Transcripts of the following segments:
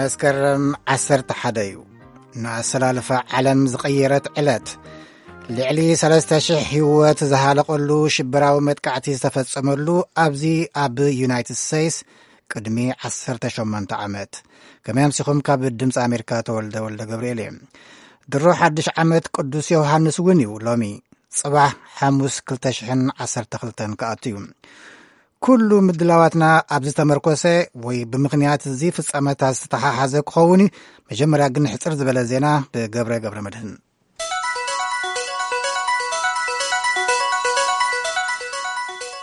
መስከረም ዓሰርተ ሓደ እዩ። ንኣሰላልፋ ዓለም ዝቐየረት ዕለት፣ ልዕሊ ሰለስተ ሽሕ ህይወት ዝሃለቐሉ ሽበራዊ መጥቃዕቲ ዝተፈጸመሉ ኣብዚ ኣብ ዩናይትድ ስቴትስ ቅድሚ ዓሰርተ ሸሞንተ ዓመት። ከመይ ኣምሲኹም? ካብ ድምፂ ኣሜሪካ ተወልደ ወልደ ገብርኤል እየ። ድሮ ሓድሽ ዓመት ቅዱስ ዮሃንስ እውን እዩ ሎሚ። ጽባሕ ሓሙስ ክልተ ሽሕን ዓሰርተ ክልተን ክኣቱ እዩ። ኩሉ ምድላዋትና ኣብዚ ተመርኮሰ ወይ ብምኽንያት እዚ ፍጻመታት ዝተሓሓዘ ክኸውን እዩ። መጀመርያ ግን ሕጽር ዝበለ ዜና ብገብረ ገብረ መድህን።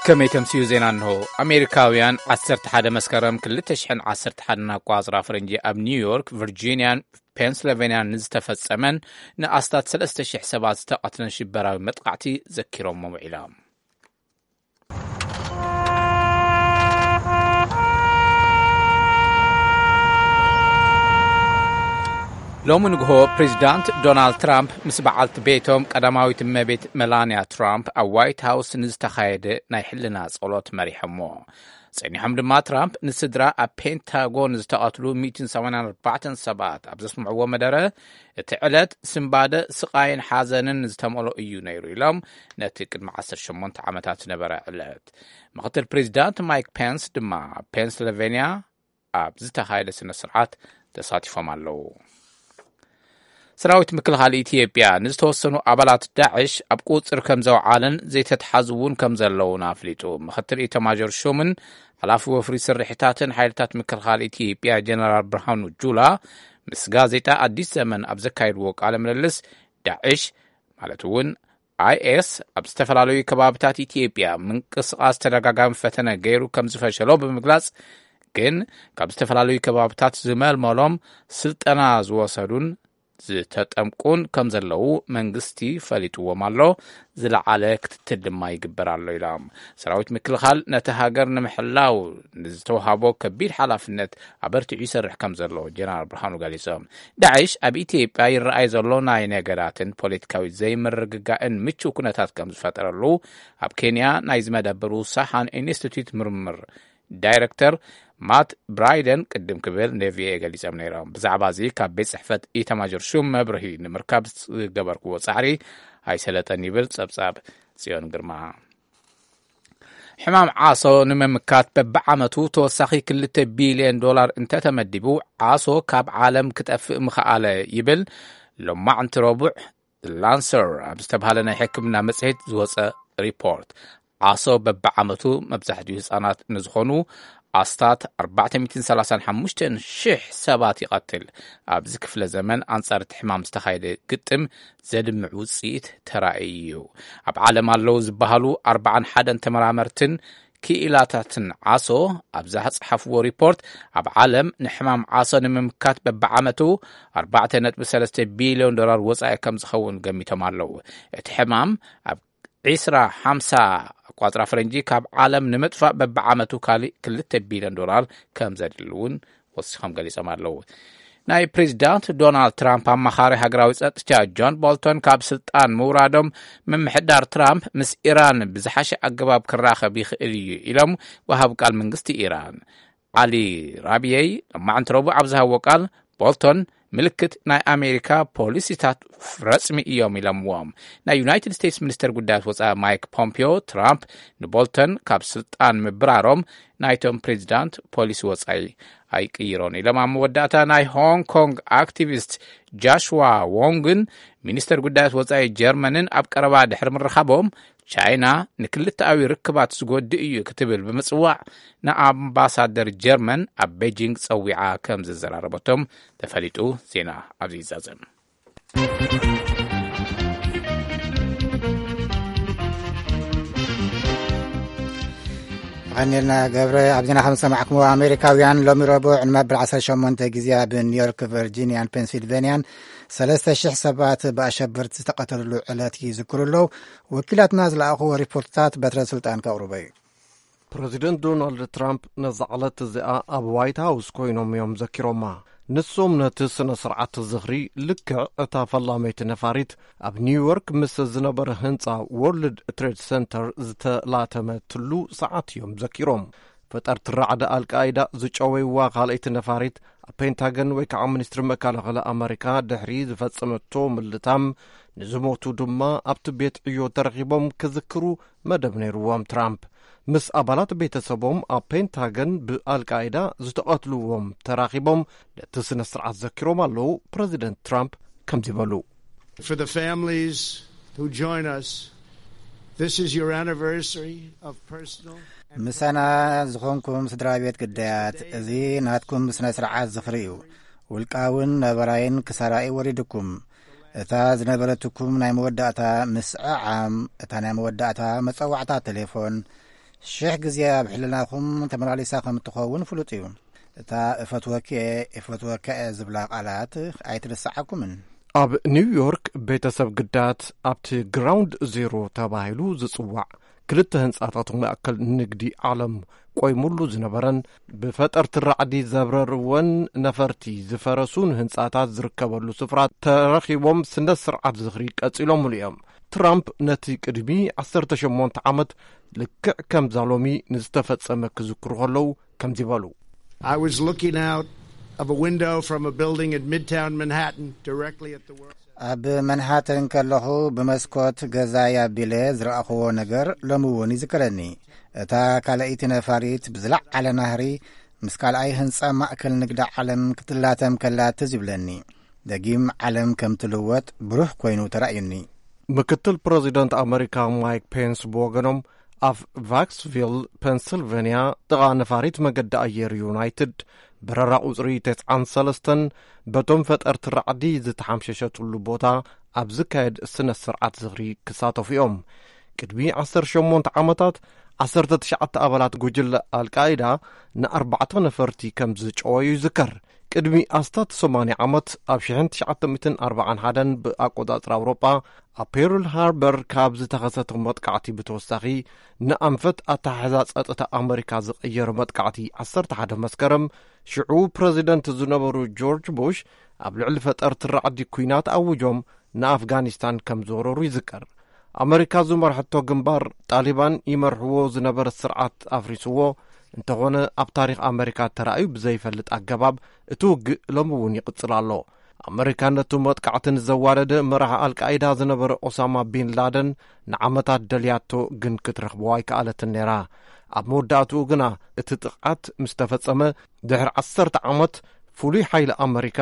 ከመይ ተምስዩ ዜና እንሆ። ኣሜሪካውያን ዓሰርተ ሓደ መስከረም ክልተ ሽሕን ዓሰርተ ሓደን ኣቋጽራ ፈረንጂ ኣብ ኒውዮርክ፣ ቨርጂንያን ፔንስልቬንያን ንዝተፈጸመን ንኣስታት ሰለስተ ሽሕ ሰባት ዝተቐትለን ሽበራዊ መጥቃዕቲ ዘኪሮሞ ውዒሎም። ሎሚ ንግሆ ፕሬዚዳንት ዶናልድ ትራምፕ ምስ በዓልቲ ቤቶም ቀዳማዊት እመቤት መላንያ ትራምፕ ኣብ ዋይት ሃውስ ንዝተኻየደ ናይ ሕልና ጸሎት መሪሖሞ። ጸኒሖም ድማ ትራምፕ ንስድራ ኣብ ፔንታጎን ዝተቐትሉ ሚእትን ሰማንያን ኣርባዕተን ሰባት ኣብ ዘስምዕዎ መደረ፣ እቲ ዕለት ስንባደ፣ ስቓይን ሓዘንን ዝተመልኦ እዩ ነይሩ ኢሎም፣ ነቲ ቅድሚ ዓሰርተ ሸሞንተ ዓመታት ዝነበረ ዕለት። ምክትል ፕሬዚዳንት ማይክ ፔንስ ድማ ኣብ ፔንስልቬንያ ኣብ ዝተኻየደ ስነ ስርዓት ተሳቲፎም ኣለዉ። ሰራዊት ምክልኻል ኢትዮጵያ ንዝተወሰኑ ኣባላት ዳዕሽ ኣብ ቁጽር ከም ዘውዓለን ዘይተትሓዙ እውን ከም ዘለውን ኣፍሊጡ። ምክትል ኢታማዦር ሹምን ሓላፊ ወፍሪ ስርሒታትን ሓይልታት ምክልኻል ኢትዮጵያ ጀነራል ብርሃኑ ጁላ ምስ ጋዜጣ ኣዲስ ዘመን ኣብ ዘካየድዎ ቃለ ምልልስ፣ ዳዕሽ ማለት እውን ኣይኤስ ኣብ ዝተፈላለዩ ከባብታት ኢትዮጵያ ምንቅስቓስ ተደጋጋሚ ፈተነ ገይሩ ከም ዝፈሸሎ ብምግላጽ፣ ግን ካብ ዝተፈላለዩ ከባብታት ዝመልመሎም ስልጠና ዝወሰዱን ዝተጠምቁን ከም ዘለዉ መንግስቲ ፈሊጥዎም ኣሎ፣ ዝለዓለ ክትትል ድማ ይግበር ኣሎ ኢሎም። ሰራዊት ምክልኻል ነቲ ሃገር ንምሕላው ንዝተውሃቦ ከቢድ ሓላፍነት ኣበርቲዑ ይሰርሕ ከም ዘሎ ጀነራል ብርሃኑ ገሊጾም። ዳዕሽ ኣብ ኢትዮጵያ ይረኣይ ዘሎ ናይ ነገዳትን ፖለቲካዊ ዘይምርግጋእን ምቹው ኩነታት ከም ዝፈጠረሉ ኣብ ኬንያ ናይ ዝመደብሩ ሳሓን ኢንስቲትዩት ምርምር ዳይረክተር ማት ብራይደን ቅድም ክብል ንቪኦኤ ገሊጾም ነይሮም። ብዛዕባ እዚ ካብ ቤት ጽሕፈት ኢታማዦር ሹም መብርሂ ንምርካብ ዝገበርክዎ ጻዕሪ ኣይሰለጠን ይብል ጸብጻብ ጽዮን ግርማ። ሕማም ዓሶ ንምምካት በብዓመቱ ተወሳኺ ክልተ ቢልዮን ዶላር እንተተመዲቡ፣ ዓሶ ካብ ዓለም ክጠፍእ ምኽኣለ ይብል ሎማዕንቲ ረቡዕ ላንሰር ኣብ ዝተባህለ ናይ ሕክምና መጽሔት ዝወጸ ሪፖርት። ዓሶ በብዓመቱ መብዛሕትኡ ህጻናት ንዝኾኑ ኣስታት ኣርባዕተ ሚእትን ሰላሳን ሓሙሽተን ሽሕ ሰባት ይቐትል። ኣብዚ ክፍለ ዘመን ኣንጻር እቲ ሕማም ዝተኻየደ ግጥም ዘድምዕ ውጽኢት ተራእዩ እዩ። ኣብ ዓለም ኣለዉ ዝበሃሉ ኣርባዓን ሓደን ተመራመርትን ክኢላታትን ዓሶ ኣብ ዝጸሓፍዎ ሪፖርት፣ ኣብ ዓለም ንሕማም ዓሶ ንምምካት በብዓመቱ ኣርባዕተ ነጥቢ ሰለስተ ቢልዮን ዶላር ወጻኢ ከም ዝኸውን ገሚቶም ኣለዉ። እቲ ሕማም ኣብ ዒስራ ሓምሳ ኣቋጽራ ፈረንጂ ካብ ዓለም ንምጥፋእ በብዓመቱ ካልእ ክልተ ቢልዮን ዶላር ከም ዘድሊ እውን ወሲኾም ገሊጾም ኣለዉ። ናይ ፕሬዚዳንት ዶናልድ ትራምፕ ኣማኻሪ ሃገራዊ ጸጥታ ጆን ቦልቶን ካብ ስልጣን ምውራዶም፣ ምምሕዳር ትራምፕ ምስ ኢራን ብዝሓሸ ኣገባብ ክራኸብ ይኽእል እዩ ኢሎም ወሃብ ቃል መንግስቲ ኢራን ዓሊ ራብየይ ሎማዕንቲ ረቡዕ ኣብ ዝሃብዎ ቃል፣ ቦልቶን ምልክት ናይ ኣሜሪካ ፖሊሲታት ረጽሚ እዮም ኢሎምዎም። ናይ ዩናይትድ ስቴትስ ሚኒስተር ጉዳያት ወጻኢ ማይክ ፖምፒዮ፣ ትራምፕ ንቦልተን ካብ ስልጣን ምብራሮም ናይቶም ፕሬዚዳንት ፖሊሲ ወጻኢ ኣይቅይሮን ኢሎም። ኣብ መወዳእታ ናይ ሆንግ ኮንግ ኣክቲቪስት ጃሽዋ ዎንግን ሚኒስተር ጉዳያት ወጻኢ ጀርመንን ኣብ ቀረባ ድሕሪ ምርኻቦም፣ ቻይና ንክልተኣዊ ርክባት ዝጎድእ እዩ ክትብል ብምጽዋዕ፣ ንኣምባሳደር ጀርመን ኣብ ቤጂንግ ጸዊዓ ከም ዘዘራረበቶም ተፈሊጡ። ዜና ኣብዚ ይዛዘም። ኣቐኒልና ገብረ። ኣብ ዜና ከም ዝሰማዕኩምዎ፣ ኣሜሪካውያን ሎሚ ረቡዕ ንመበል ዓሰርተ ሸሞንተ ግዜ ኣብ ኒውዮርክ፣ ቨርጂንያን ፔንሲልቬንያን ሰለስተ ሽሕ ሰባት ብኣሸበርቲ ዝተቐተልሉ ዕለት ይዝክሩ ኣለዉ። ወኪላትና ዝለኣኽዎ ሪፖርትታት በትረ ስልጣን ከቕርቦ እዩ። ፕረዚደንት ዶናልድ ትራምፕ ነዛ ዕለት እዚኣ ኣብ ዋይት ሃውስ ኮይኖም እዮም ዘኪሮማ። ንሶም ነቲ ስነ ስርዓት ዝኽሪ ልክዕ እታ ፈላመይቲ ነፋሪት ኣብ ኒውዮርክ ምስ ዝነበረ ህንጻ ወርልድ ትሬድ ሰንተር ዝተላተመትሉ ሰዓት እዮም ዘኪሮም። ፈጠርቲ ራዕዲ ኣልቃይዳ ዝጨወይዋ ካልኣይቲ ነፋሪት ኣብ ፔንታገን ወይ ከዓ ሚኒስትሪ መከላኸሊ ኣመሪካ ድሕሪ ዝፈጸመቶ ምልታም፣ ንዝሞቱ ድማ ኣብቲ ቤት ዕዮ ተረኺቦም ክዝክሩ መደብ ነይርዎም ትራምፕ። ምስ ኣባላት ቤተሰቦም ኣብ ፔንታገን ብኣልቃይዳ ዝተቐትልዎም ተራኺቦም ነቲ ስነ ስርዓት ዘኪሮም ኣለዉ። ፕረዚደንት ትራምፕ ከምዚ በሉ። For the families who join us, this is your anniversary of personal and ምሳና ዝኾንኩም ስድራ ቤት ግዳያት፣ እዚ ናትኩም ስነ ስርዓት ዝኽሪ እዩ። ውልቃውን ነበራይን ክሳራኢ ወሪድኩም። እታ ዝነበረትኩም ናይ መወዳእታ ምስዕዓም፣ እታ ናይ መወዳእታ መጸዋዕታ ቴሌፎን፣ ሽሕ ግዜ ኣብ ሕልናኹም ተመላሊሳ ከም እትኸውን ፍሉጥ እዩ። እታ "እፈትወኪ እየ፣ እፈትወካ እየ" ዝብላ ቃላት ኣይትርስዓኩምን። ኣብ ኒውዮርክ ቤተሰብ ግዳያት ኣብቲ ግራውንድ ዜሮ ተባሂሉ ዝጽዋዕ ክልተ ህንጻታት ማእከል ንግዲ ዓለም ቆይሙሉ ዝነበረን ብፈጠርቲ ራዕዲ ዘብረርወን ነፈርቲ ዝፈረሱን ህንጻታት ዝርከበሉ ስፍራ ተረኺቦም ስነ ስርዓት ዝኽሪ ቀጺሎምሉ እዮም። ትራምፕ ነቲ ቅድሚ ዓሰርተ ሸሞንተ ዓመት ልክዕ ከምዛ ሎሚ ንዝተፈጸመ ክዝክሩ ከለዉ ከምዚ በሉ። I was looking out of a window from a building in Midtown Manhattan directly at the World ኣብ መንሃተን ከለኹ ብመስኮት ገዛይ ኣቢለ ዝረኣኽዎ ነገር ሎሚ እውን ይዝከረኒ። እታ ካልኣይቲ ነፋሪት ብዝለዓለ ናህሪ ምስ ካልኣይ ህንጻ ማእከል ንግዲ ዓለም ክትላተም ከላ ትዝ ይብለኒ። ደጊም ዓለም ከም ትልወጥ ብሩህ ኮይኑ ተራእዩኒ። ምክትል ፕረዚደንት ኣመሪካ ማይክ ፔንስ ብወገኖም ኣብ ቫክስቪል ፔንስልቨንያ ጥቓ ነፋሪት መገዲ ኣየር ዩናይትድ በረራ ቁጽሪ ተስዓን ሰለስተን በቶም ፈጠርቲ ራዕዲ ዝተሓምሸሸትሉ ቦታ ኣብ ዝካየድ ስነ ስርዓት ዝኽሪ ክሳተፉ እዮም። ቅድሚ ዓሰርተ ሸሞንተ ዓመታት ዓሰርተ ትሽዓተ ኣባላት ጉጅለ ኣልቃይዳ ንኣርባዕተ ነፈርቲ ከም ዝጨወዩ ይዝከር። ቅድሚ ኣስታት ሰማንያ ዓመት ኣብ ሽሕን ትሽዓተ ሚእትን ኣርባዓን ሓደን ብኣቆጻጽራ ኣውሮጳ ኣብ ፔርል ሃርበር ካብ ዝተኸሰተ መጥቃዕቲ ብተወሳኺ ንኣንፈት ኣተሓሕዛ ጸጥታ ኣመሪካ ዝቐየረ መጥቃዕቲ ዓሰርተ ሓደ መስከረም ሽዑ ፕረዚደንት ዝነበሩ ጆርጅ ቡሽ ኣብ ልዕሊ ፈጠርቲ ራዕዲ ኲናት ኣውጆም ንኣፍጋኒስታን ከም ዝወረሩ ይዝከር። ኣመሪካ ዝመርሐቶ ግንባር ጣሊባን ይመርሕዎ ዝነበረ ስርዓት ኣፍሪስዎ እንተኾነ ኣብ ታሪኽ ኣመሪካ ተራእዩ ብዘይፈልጥ ኣገባብ እቲ ውግእ ሎሚ እውን ይቕጽል ኣሎ። ኣመሪካ ነቲ መጥቃዕቲ ንዘዋደደ መራሒ ኣልቃይዳ ዝነበረ ኦሳማ ቢን ላደን ንዓመታት ደልያቶ ግን ክትረኽቦ ኣይከኣለትን ነይራ። ኣብ መወዳእትኡ ግና እቲ ጥቕዓት ምስ ተፈጸመ ድሕሪ ዓሰርተ ዓመት ፍሉይ ሓይሊ ኣመሪካ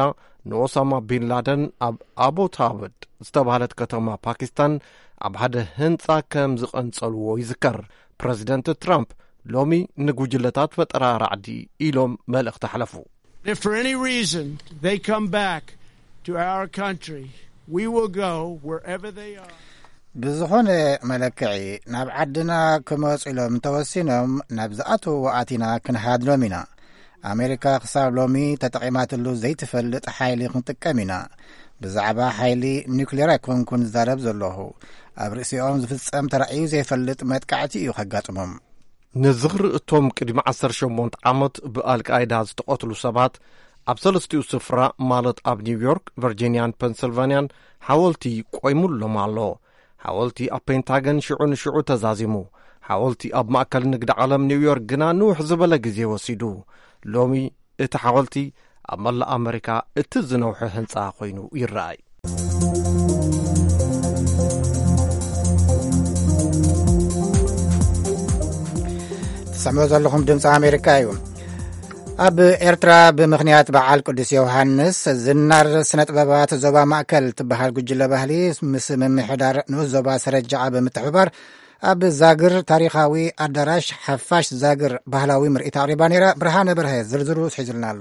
ንኦሳማ ቢን ላደን ኣብ ኣቦታብድ ዝተባህለት ከተማ ፓኪስታን ኣብ ሓደ ህንጻ ከም ዝቐንጸልዎ ይዝከር። ፕረዚደንት ትራምፕ ሎሚ ንጉጅለታት ፈጠራ ራዕዲ ኢሎም መልእኽቲ ኣሕለፉ። If for any reason they come back to our country, we will go wherever they are. ብዝኾነ መለክዒ ናብ ዓድና ክመጹ ኢሎም እንተወሲኖም ናብ ዝኣተውዎ ኣቲና ክንሃድኖም ኢና። ኣሜሪካ ክሳብ ሎሚ ተጠቒማትሉ ዘይትፈልጥ ሓይሊ ክንጥቀም ኢና። ብዛዕባ ሓይሊ ኒውክሌር ኣይኮንኩን ዝዛረብ ዘለኹ። ኣብ ርእሲኦም ዝፍጸም ተራእዩ ዘይፈልጥ መጥቃዕቲ እዩ ከጋጥሞም። ንዝኽሪ እቶም ቅድሚ ዓሰርተ ሸሞንተ ዓመት ብኣልቃይዳ ዝተቐትሉ ሰባት ኣብ ሰለስቲኡ ስፍራ ማለት ኣብ ኒውዮርክ፣ ቨርጂንያን ፐንስልቫንያን ሓወልቲ ቆይሙሎም ኣሎ። ሓወልቲ ኣብ ፔንታገን ሽዑ ንሽዑ ተዛዚሙ። ሓወልቲ ኣብ ማእከል ንግዲ ዓለም ኒውዮርክ ግና ንውሕ ዝበለ ግዜ ወሲዱ። ሎሚ እቲ ሓወልቲ ኣብ መላእ ኣመሪካ እቲ ዝነውሐ ህንጻ ኮይኑ ይረኣይ። ትሰምዑ ዘለኹም ድምፂ ኣሜሪካ እዩ። ኣብ ኤርትራ ብምኽንያት በዓል ቅዱስ ዮሃንስ ዝናር ስነ ጥበባት ዞባ ማእከል ትበሃል ጉጅለ ባህሊ ምስ ምምሕዳር ንኡስ ዞባ ሰረጃዓ ብምትሕብባር ኣብ ዛግር ታሪኻዊ ኣዳራሽ ሓፋሽ ዛግር ባህላዊ ምርኢት ኣቕሪባ ነይራ። ብርሃነ በርሀ ዝርዝሩ ሒዙልና ኣሎ።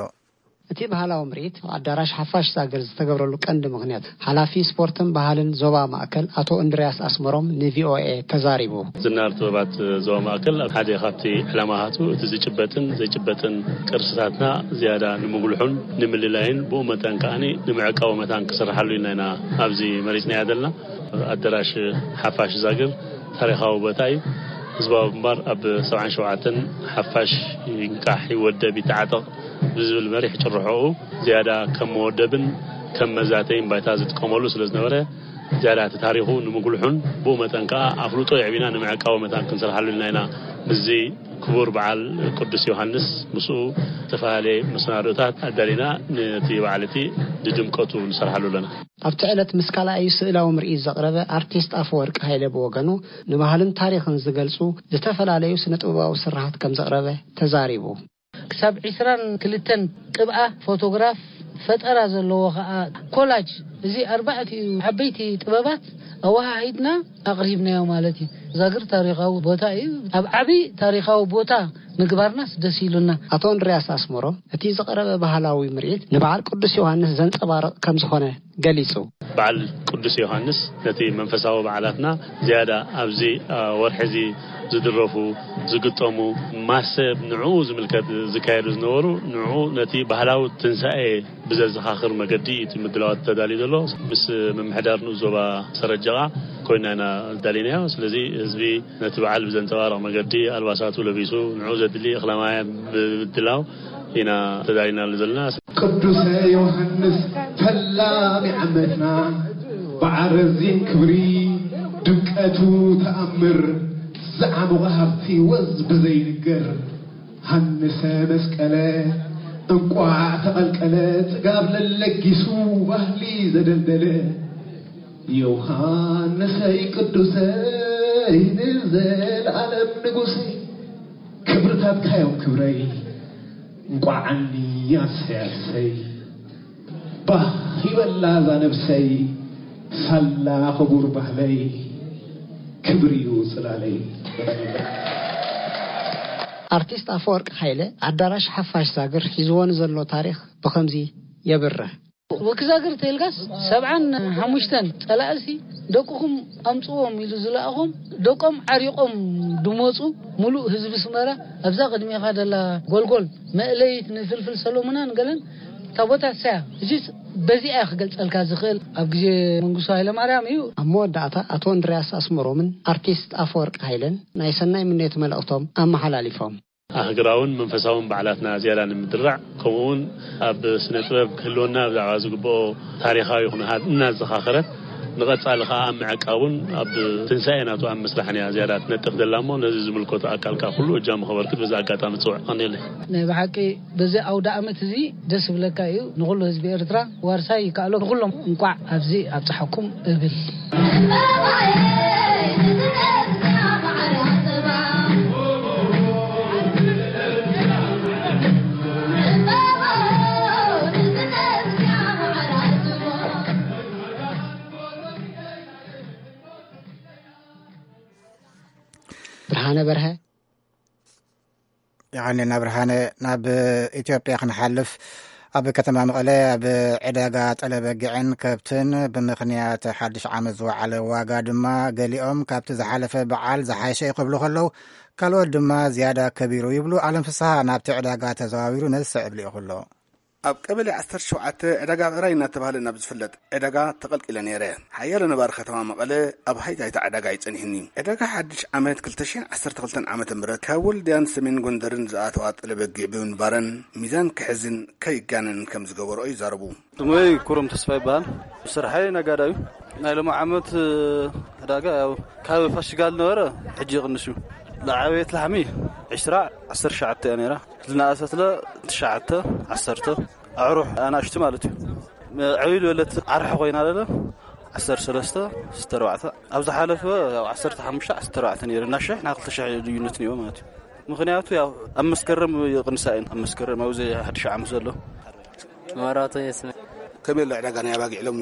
እቲ ባህላዊ ምርኢት ኣዳራሽ ሓፋሽ ዛግር ዝተገብረሉ ቀንዲ ምኽንያት ሓላፊ ስፖርትን ባህልን ዞባ ማእከል ኣቶ እንድርያስ ኣስመሮም ንቪኦኤ ተዛሪቡ። ዝናር ጥበባት ዞባ ማእከል ኣብ ሓደ ካብቲ ዕላማታቱ እቲ ዝጭበጥን ዘይጭበጥን ቅርስታትና ዝያዳ ንምጉልሑን ንምልላይን ብኡ መጠን ከዓኒ ንምዕቃቡ መታን ክስርሓሉ ኢልና ኢና ኣብዚ መሪጽናያ ዘለና። ኣዳራሽ ሓፋሽ ዛግር ታሪኻዊ ቦታ እዩ። ህዝባዊ ግንባር ኣብ ሰብዓን ሸውዓተን ሓፋሽ ይንቃሕ፣ ይወደብ፣ ይተዓጠቕ ብዝብል መሪሕ ጭርሖኡ ዝያዳ ከም መወደብን ከም መዛተይን ባይታ ዝጥቀመሉ ስለ ዝነበረ፣ ዝያዳ እቲ ታሪኹ ንምጉልሑን ብኡ መጠን ከኣ ኣፍልጦ የዕቢና ንምዕቃቡ መታን ክንሰርሓሉ ኢልና ኢና። ምስዚ ክቡር በዓል ቅዱስ ዮሃንስ ምስኡ ዝተፈላለየ መሰናዶታት ኣዳሊና ነቲ በዓል እቲ ንድምቀቱ ንሰርሓሉ ኣለና። ኣብቲ ዕለት ምስ ካልኣዩ ስእላዊ ምርኢት ዘቕረበ ኣርቲስት ኣፈወርቂ ሃይለ ብወገኑ፣ ንባህልን ታሪኽን ዝገልጹ ዝተፈላለዩ ስነ ጥበባዊ ስርሓት ከም ዘቕረበ ተዛሪቡ። ክሳብ ዕስራን ክልተን ቅብኣ ፎቶግራፍ ፈጠራ ዘለዎ ኸኣ ኮላጅ፣ እዚ ኣርባዕቲኡ ዓበይቲ ጥበባት ኣወሃሂድና ኣቕሪብናዮ ማለት እዩ። ዛግር ታሪኻዊ ቦታ እዩ። ኣብ ዓቢ ታሪኻዊ ቦታ ምግባርናስ ደስ ኢሉና። ኣቶ እንድርያስ ኣስመሮም፣ እቲ ዝቐረበ ባህላዊ ምርኢት ንበዓል ቅዱስ ዮሃንስ ዘንጸባርቕ ከም ዝኾነ ገሊጹ። በዓል ቅዱስ ዮሃንስ ነቲ መንፈሳዊ በዓላትና ዝያዳ ኣብዚ፣ አ፣ ወርሒ እዚ ዝድረፉ፣ ዝግጠሙ፣ ማሰብ ንዕኡ ዝምልከት ዝካየዱ ዝነበሩ፣ ንዕኡ ነቲ ባህላዊ ትንሳኤ ብዘዘኻኽር መገዲ እዩ እቲ ምድላዋት ተዳልዩ ዘሎ። ምስ ምምሕዳር ንኡስ ዞባ ሰረጀቓ ኮይና ኢና ኣዳሊናዮ። ስለዚ ህዝቢ ነቲ በዓል ብዘንጸባርቕ መገዲ ኣልባሳቱ ለቢሱ፣ ንዕኡ ዘድሊ እኽለ ማይ ብምድላው ኢና ተዳሊናሉ ዘለና። ቅዱሰ ዮሃንስ ፈላሚ ዓመትና፣ ብዓረዚን ክብሪ ድምቀቱ ተኣምር፣ ዝዓሞቐ ሃብቲ ወዝ ብዘይንገር። ሃንሰ መስቀለ እንቋዕ ተቐልቀለ፣ ጽጋብ ለለጊሱ ባህሊ ዘደልደለ። ዮሃንሰይ ቅዱሰይ ንዘለዓለም ንጉሰይ፣ ክብርታትካ እዮም ክብረይ፣ እንቋዓኒ ኣሰይ ኣሰይ። ባህ ይበላ እዛ ነብሰይ፣ ሳላ ክቡር ባህለይ፣ ክብር እዩ ጽላለይ። ኣርቲስት ኣፈወርቅ ሃይለ ኣዳራሽ ሓፋሽ ዛግር ሒዝዎ ንዘሎ ታሪኽ ብኸምዚ የብርህ። ወኪ ዛግር ተይልጋስ ሰብዓን ሓሙሽተን ጸላእሲ ደቅኹም ኣምጽዎም ኢሉ ዝለኣኾም፣ ደቆም ዓሪቆም ድመጹ። ሙሉእ ህዝቢ ስመራ ኣብዛ ቅድሜኻ ደላ ጎልጎል መእለይት ንፍልፍል ሰሎሙናን ገለን ታቦታት ሰያ። እዚስ በዚኣ ክገልጸልካ ዝኽእል ኣብ ግዜ መንግስቱ ሃይለማርያም እዩ። ኣብ መወዳእታ ኣቶ እንድርያስ ኣስመሮምን ኣርቲስት ኣፈወርቅ ሃይለን ናይ ሰናይ ምንዮት መልእኽቶም ኣመሓላሊፎም። ኣህግራውን መንፈሳውን በዓላትና ዝያዳ ንምድራዕ፣ ከምኡውን ኣብ ስነ ጥበብ ክህልወና ብዛዕባ ዝግብኦ ታሪኻዊ ኩነታት እናዘኻኸረት፣ ንቐጻሊ ከኣ ኣብ ምዕቃቡን ኣብ ትንሳኤ ናቱ ኣብ ምስራሕን እያ ዝያዳ ትነጥፍ ዘላ እሞ፣ ነዚ ዝምልከቶ ኣካል ከኣ ኩሉ እጃሙ ከበርክት በዚ ኣጋጣሚ ጽውዕ ቀኒለይ። ናይ ብሓቂ በዚ ኣውደ ዓመት እዚ ደስ ይብለካ እዩ። ንኹሉ ህዝቢ ኤርትራ ዋርሳይ ይከኣሎ። ንኹሎም እንቋዕ ኣብዚ ኣብጽሓኩም እብል። ብርሃነ በርሀ። የቐንየልና ብርሃነ። ናብ ኢትዮጵያ ክንሓልፍ፣ ኣብ ከተማ መቐለ ኣብ ዕዳጋ ጠለበጊዕን ከብትን ብምኽንያት ሓድሽ ዓመት ዝወዓለ ዋጋ ድማ፣ ገሊኦም ካብቲ ዝሓለፈ በዓል ዝሓሸ እዩ ክብሉ ከለዉ፣ ካልኦት ድማ ዝያዳ ከቢሩ ይብሉ። ኣለም ፍስሃ ናብቲ ዕዳጋ ተዘዋዊሩ ነዚ ስዕብ ልኢኹ ኣሎ። ኣብ ቀበሌ ዓሰርተ ሸውዓተ ዕዳጋ ብዕራይ እናተባህለ ናብ ዝፍለጥ ዕዳጋ ተቐልቂለ ነይረ። ሓያሎ ነባሪ ከተማ መቐለ ኣብ ሃይታ ሃይታ ዕዳጋ እዩ ጸኒሑኒ። ዕዳጋ ሓድሽ ዓመት ክልተ ሽሕን ዓሰርተ ክልተን ዓመተ ምህረት ካብ ወልድያን ሰሜን ጎንደርን ዝኣተዋ ጠለበጊዕ ብምንባረን፣ ሚዛን ክሕዝን ከይጋነንን ከም ዝገበርኦ ይዛረቡ። ስመይ ኩሮም ተስፋ ይበሃል። ስርሐይ ነጋዳይ እዩ። ናይ ሎሚ ዓመት ዕዳጋ ያው ካብ ፋሲጋ ዝነበረ ሕጂ ይቕንስ እዩ። ዝዓበየት ላሕሚ ዕስራ፣ ዓሰርተ ትሽዓተ እያ ነይራ። ዝነኣሰትለ ትሽዓተ፣ ዓሰርተ፣ ኣዕሩሕ ኣናእሽቱ ማለት እዩ። ዕብይ ዝበለት ዓርሒ ኮይና ለለ ዓሰርተ ሰለስተ፣ ዓሰርተ ኣርባዕተ፣ ኣብ ዝሓለፈ ያው ዓሰርተ ሓሙሽተ፣ ዓሰርተ ኣርባዕተ ነይሩ። እና ሽሕ ናብ ክልተ ሽሕ ልዩነት ነይሩ ማለት እዩ። ምኽንያቱ ያው ኣብ መስከረም ይቕንሳ እየን። ኣብ መስከረም ኣብዚ ሓድሽ ዓመት ዘሎ። መራቶ የስመ ከመይ ኣሎ ዕዳጋ ናይ ኣባጊዕ ሎሚ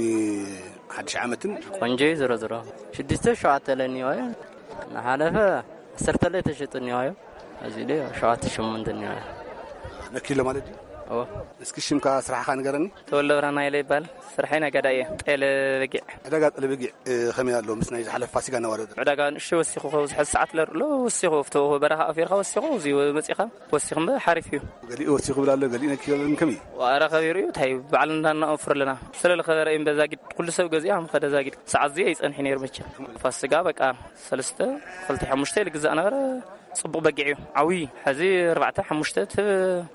ሓድሽ ዓመትን? ቆንጆ እዩ። ዝሮ ዝሮ ሽዱሽተ ሸውዓተ ለኒዮ እዩ። ንሓለፈ ዓሰርተ ለይ ተሸጡ እኒዮ እዩ። እዚ ደ ሸውዓተ ሸሞንተ እኒዮ እዩ። ነኪሎ ማለት እዩ? እዎ። እስኪ ሽምካ ስራሕኻ ንገረኒ። ተወልደ ብርሃን ሃይለ ይባል። ስርሐይ ነጋዳይ እየ። ጤለ በጊዕ። ዕዳጋ ጤለ በጊዕ፣ እ፣ ከመይ ኣሎ ምስ ናይ ዝሓለፈ ፋሲጋ እናወረደ? ዕዳጋ ንእሽተይ ወሲኹ፣ ካብ ዝሐዚ ሰዓት ለርሎ ወሲኹ፣ ኣብቲ በረኻ ኣፊርካ ወሲኹ፣ እዚ መጺኻ ወሲኹ እምበር ሓሪፍ እዩ። ገሊኡ ወሲኹ ይብል ኣሎ፣ ገሊኡ ነኪሎ ይብል፣ ከመይ እዩ? ዋረ ከቢሩ እዩ፣ እንታይ በዓል እንዳናወፍር ኣለና። ስለ ዝኸበረ እዩ እምበር ዛጊድ፣ ኩሉ ሰብ ገዚኡ ከም ከደ ዛጊድ። ሰዓት እዚ ኣይጸንሕ ነይሩ መቸም። ፋሲጋ በቃ ሰለስተ፣ ክልተ፣ ሓሙሽተ ኢሉ ግዛእ ነበረ። ጽቡቕ በጊዕ እዩ። ዓብዪ ሕዚ ኣርባዕተ ሓሙሽተ እቲ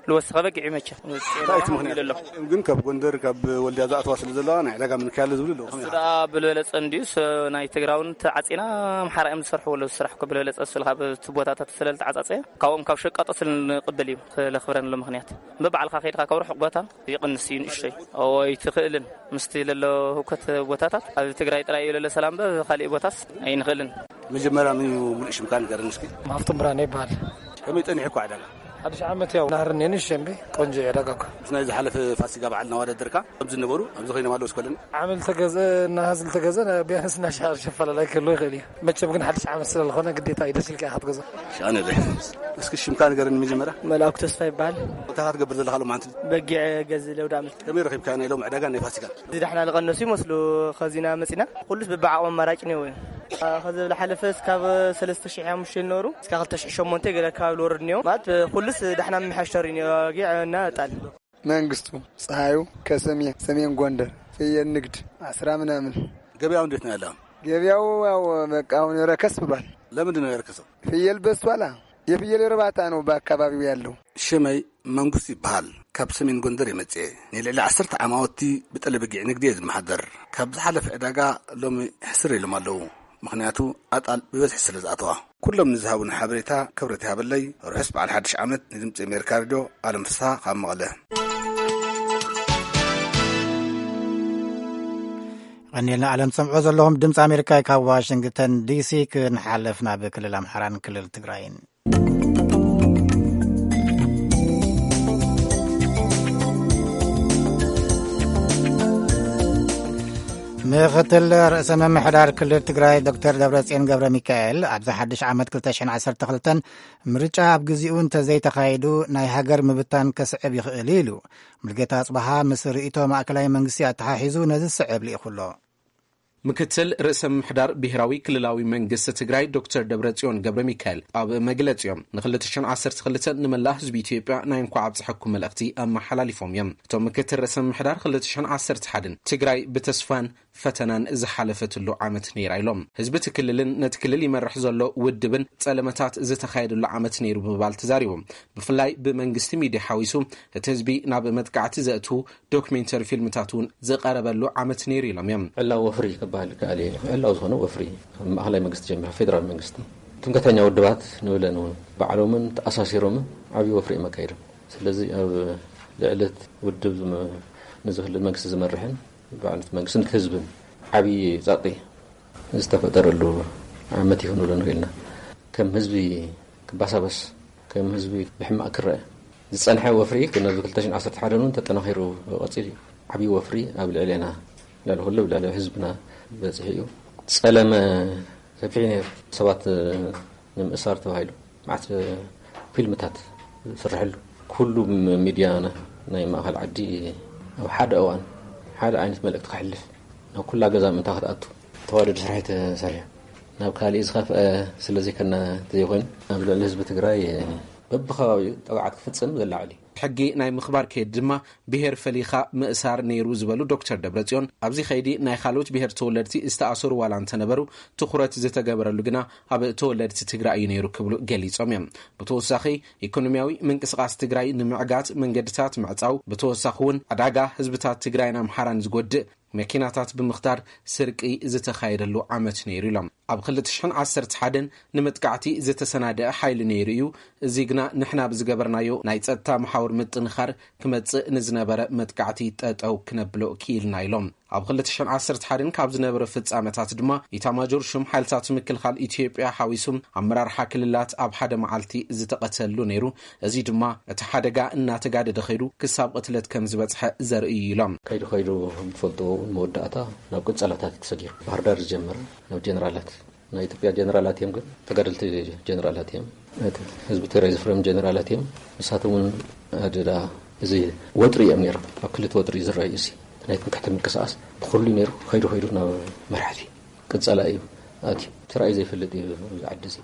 ልወሰኸ በጊዕ እዩ። መቸ እንታይ እቲ ምኽንያት? ኣሎ። ግን ካብ ጎንደር ካብ ወልድያ ዝኣተዋ ስለ ዘለዋ ናይ ዕዳጋ ምንካያለ ዝብሉ ኣለዉ። እሱ ደኣ ብልበለጸ እንድዩ ስ-፣ ናይ ትግራውን ተዓጺና ኣምሓራ እዮም ዝሰርሕዎ ኣለዉ። ስራሕ እኮ ብልበለጸ እሱ ካብ እቲ ቦታታት ስለ ዝተዓጻጸየ ካብኦም ካብ ሸቃጦ ስለ ንቕበል እዩ። ስለኽብረን ኣሎ ምኽንያት በባዕልኻ ከይድካ ካብ ርሑቕ ቦታ ይቕንስ እዩ ንእሽተይ። እዎ ኣይትኽእልን። ምስቲ ለሎ ህውከት ቦታታት ኣብ ትግራይ ጥራይ እዩ ለሎ ሰላም፣ በ-፣ ካልእ ቦታስ ኣይንኽእልን። መጀመርያ ምን እዩ ሙሉእ ሽምካ ንገረኒ እስኪ? ሃፍቶም ብርሃነ ይበሃል። ከመይ ጸኒሕኳ ዕዳጋ? ሓድሽ ዓመት ያው ናህር እኔ ንሽ እምቢ ቆንጆ ዕዳጋ እኮ። ምስ ናይ ዝሓለፈ ፋሲጋ በዓል እናወዳደርካ ከምዚ ነበሩ ኣብዚ ኮይኖም ኣለዉ እስከለኒ? ዓመል ተገዘ እና ህዝል ተገዘ ና-፣ ቢያንስ እና ሻር ሸፈላላይ ክህልዎ ይኽእል እዩ። መቸም ግን ሓድሽ ዓመት ስለ ዝኾነ ግዴታ እዩ ደስ ኢልካ ኢኻ ትገዝኦ። ሻነለ እስኪ ሽምካ ንገረኒ መጀመርያ? መልኣኩ ተስፋ ይበሃል። እንታይ ኢኻ ትገብር ዘለኻ ሎማዓንቲ? በጊዕ ገዝእ ለውዳመት። ከመይ ረኺብካ ናይ ሎም ዕዳጋ ናይ ፋሲካ? እዚ ዳሕና ዝቐነሱ ይመስሉ። ኸዚና መጺና ኩሉስ በብዓቕሚ ኣማራጭ እኒኦ እዩ። ኸዚ ዝሓለፈ እስካብ ሰለስተ ሽሕ ሓሙሽተ ዝነበሩ እስካብ ክልተ ሽሕ ሸሞንተ ገለ ኣካባቢ ዝወርድ እኒኦ። ማለት ኩሉስ ዳሕና ምምሕያሽ ተሪኡ እኒኦ። በጊዕ እና እጣል። መንግስቱ ፀሐዩ ከሰሜን፣ ሰሜን ጎንደር ፍየል ንግድ አስራ ምናምን። ገበያው እንዴት ነው ያለው? ገበያው ያው በቃ አሁን ረከስ ብሏል። ለምንድን ነው የረከሰው? ፍየል በዝቷላ። የፍየል እርባታ ነው በአካባቢው ያለው። ሽመይ መንግስቱ ይበሃል። ካብ ሰሜን ጎንደር የመጽኤ። ንልዕሊ ዓሰርተ ዓማውቲ ብጠለበጊዕ ንግዲ እየ ዝመሓደር። ካብ ዝሓለፈ ዕዳጋ ሎሚ ሕስር ኢሎም ኣለዉ። ምኽንያቱ ኣጣል ብበዝሒ ስለ ዝኣተዋ። ኩሎም ንዝሃቡን ሓበሬታ ክብረት ይሃበለይ። ርሑስ በዓል ሓድሽ ዓመት። ንድምፂ ኣሜሪካ ሬድዮ ኣለም ፍስሃ ካብ መቐለ። ቀኒልና ዓለም ሰምዖ ዘለኹም ድምፂ ኣሜሪካ ካብ ዋሽንግተን ዲሲ። ክንሓልፍ ናብ ክልል ኣምሓራን ክልል ትግራይን። ምክትል ርእሰ ምምሕዳር ክልል ትግራይ ዶክተር ደብረጽዮን ገብረ ሚካኤል ኣብዚ ሓድሽ ዓመት ክልተ ሽሕን ዓሰርተ ክልተን ምርጫ ኣብ ግዚኡ እንተዘይተኻይዱ ናይ ሃገር ምብታን ከስዕብ ይኽእል ኢሉ። ሙልጌታ ኣጽብሃ ምስ ርእይቶ ማእከላይ መንግስቲ ኣተሓሒዙ ነዚ ዝስዕብ ልኢኹ ኣሎ። ምክትል ርእሰ ምምሕዳር ብሄራዊ ክልላዊ መንግስቲ ትግራይ ዶክተር ደብረጽዮን ገብረ ሚካኤል ኣብ መግለጺኦም ንክልተ ሽሕን ዓሰርተ ክልተን ንመላእ ህዝቢ ኢትዮጵያ ናይ እንኳዕ ኣብፀሐኩም መልእኽቲ ኣመሓላሊፎም እዮም። እቶም ምክትል ርእሰ ምምሕዳር ክልተ ሽሕን ዓሰርተ ሓደን ትግራይ ብተስፋን ፈተናን ዝሓለፈትሉ ዓመት ነይራ ኢሎም። ህዝቢ እቲ ክልልን ነቲ ክልል ይመርሕ ዘሎ ውድብን ጸለመታት ዝተኻየደሉ ዓመት ነይሩ ብምባል ተዛሪቦም። ብፍላይ ብመንግስቲ ሚድያ ሓዊሱ እቲ ህዝቢ ናብ መጥቃዕቲ ዘእትዉ ዶክሜንተሪ ፊልምታት እውን ዝቐረበሉ ዓመት ነይሩ ኢሎም እዮም። ዕላዊ ወፍሪ ክበሃል ይከኣል እዩ። ዕላዊ ዝኾነ ወፍሪ፣ ካብ ማእኸላይ መንግስቲ ጀሚሩ፣ ፌደራል መንግስቲ፣ ትምክሕተኛ ውድባት ንብለን እውን ባዕሎምን ተኣሳሲሮምን ዓብዪ ወፍሪ እዮም ኣካይዶም። ስለዚ ኣብ ልዕሊ እቲ ውድብ ዝመ-፣ ነዚ ክልል መንግስቲ ዝመርሕን በዓል እቲ መንግስቲ ነቲ ህዝብን ዓብዪ ጸቕጢ ዝተፈጠረሉ ዓመት እዩ ክንብሎ ንኽእል ኢና። ከም ህዝቢ ክባሳበስ፣ ከም ህዝቢ ብሕማቕ ክረአ ዝጸንሐ ወፍሪ ነዚ ክልተ ሽሕን ዓሰርተ ሓደን እውን ተጠናኺሩ ቀጺሉ እዩ። ዓብዪ ወፍሪ ኣብ ልዕሌና፣ ልዕሊ ኩሉ ኣብ ልዕሊ ህዝብና በጺሑ እዩ። ጸለመ ሰፊሕ ነይሩ። ሰባት ንምእሳር ተባሂሉ መዓት ፊልምታት ዝስርሐሉ፣ ኩሉ ሚድያና ናይ ማእኸል ዓዲ ኣብ ሓደ እዋን ሓደ ዓይነት መልእክቲ ከሕልፍ፣ ናብ ኩላ ገዛ ምእንታ ክትኣቱ ተዋደድ ስራሕ ተሰሪሑ። ናብ ካሊእ ዝኸፍአ ስለ ዘይከና እንተዘይኮይኑ፣ ኣብ ልዕሊ ህዝቢ ትግራይ በብኸባቢኡ ጠብዓት ክፍጽም ዝለዓል እዩ። ሕጊ ናይ ምኽባር ከይዲ ድማ ብሄር ፈሊኻ ምእሳር ነይሩ ዝበሉ ዶክተር ደብረጽዮን፣ ኣብዚ ከይዲ ናይ ካልኦት ብሄር ተወለድቲ ዝተኣሰሩ ዋላ እንተነበሩ፣ ትኹረት ዝተገበረሉ ግና ኣብ ተወለድቲ ትግራይ እዩ ነይሩ ክብሉ ገሊጾም እዮም። ብተወሳኺ፣ ኢኮኖሚያዊ ምንቅስቓስ ትግራይ ንምዕጋት መንገድታት ምዕጻው፣ ብተወሳኺ እውን ዕዳጋ ህዝብታት ትግራይን ኣምሓራን ዝጎድእ መኪናታት ብምኽታር ስርቂ ዝተኻየደሉ ዓመት ነይሩ ኢሎም። ኣብ ክልተ ሽሕን ዓሰርተ ሓደን ንመጥቃዕቲ ዝተሰናደአ ሓይሊ ነይሩ እዩ። እዚ ግና ንሕና ብዝገበርናዮ ናይ ጸጥታ መሓውር ምጥንኻር ክመጽእ ንዝነበረ መጥቃዕቲ ጠጠው ክነብሎ ክኢልና ኢሎም። ኣብ ክልተ ሽሕን ዓሰርተ ሓደን ካብ ዝነበረ ፍጻመታት ድማ ኢታማጆር ሹም ሓይልታት ምክልኻል ኢትዮጵያ ሓዊሱ ኣመራርሓ ክልላት ኣብ ሓደ መዓልቲ ዝተቐተሉ ነይሩ። እዚ ድማ እቲ ሓደጋ እናተጋደደ ኸይዱ ክሳብ ቅትለት ከም ዝበጽሐ ዘርኢ እዩ ኢሎም። ከይዱ ከይዱ ብትፈልጥዎ እውን መወዳእታ ናብ ቅጸላታት እዩ ተሰጊሩ። ባህር ዳር ዝጀመረ ናብ ጀነራላት ናይ ኢትዮጵያ ጀነራላት እዮም፣ ግን ተጋደልቲ ጀነራላት እዮም። እቲ ህዝቢ ትግራይ ዝፍረም ጀነራላት እዮም። ንሳቶም እውን ኣደዳ እዚ ወጥሪ እዮም ነይሮም። ኣብ ክልተ ወጥሪ እዩ ዝረኣዩ። እዚ ናይ ትምክሕቲ ምንቅስቃስ ብኩሉ ነይሩ። ከይዱ ከይዱ ናብ መራሕቲ ቅጸላ እዩ ኣትዩ። ተራእዩ ዘይፈልጥ እዩ ኣብዚ ዓዲ እዚ።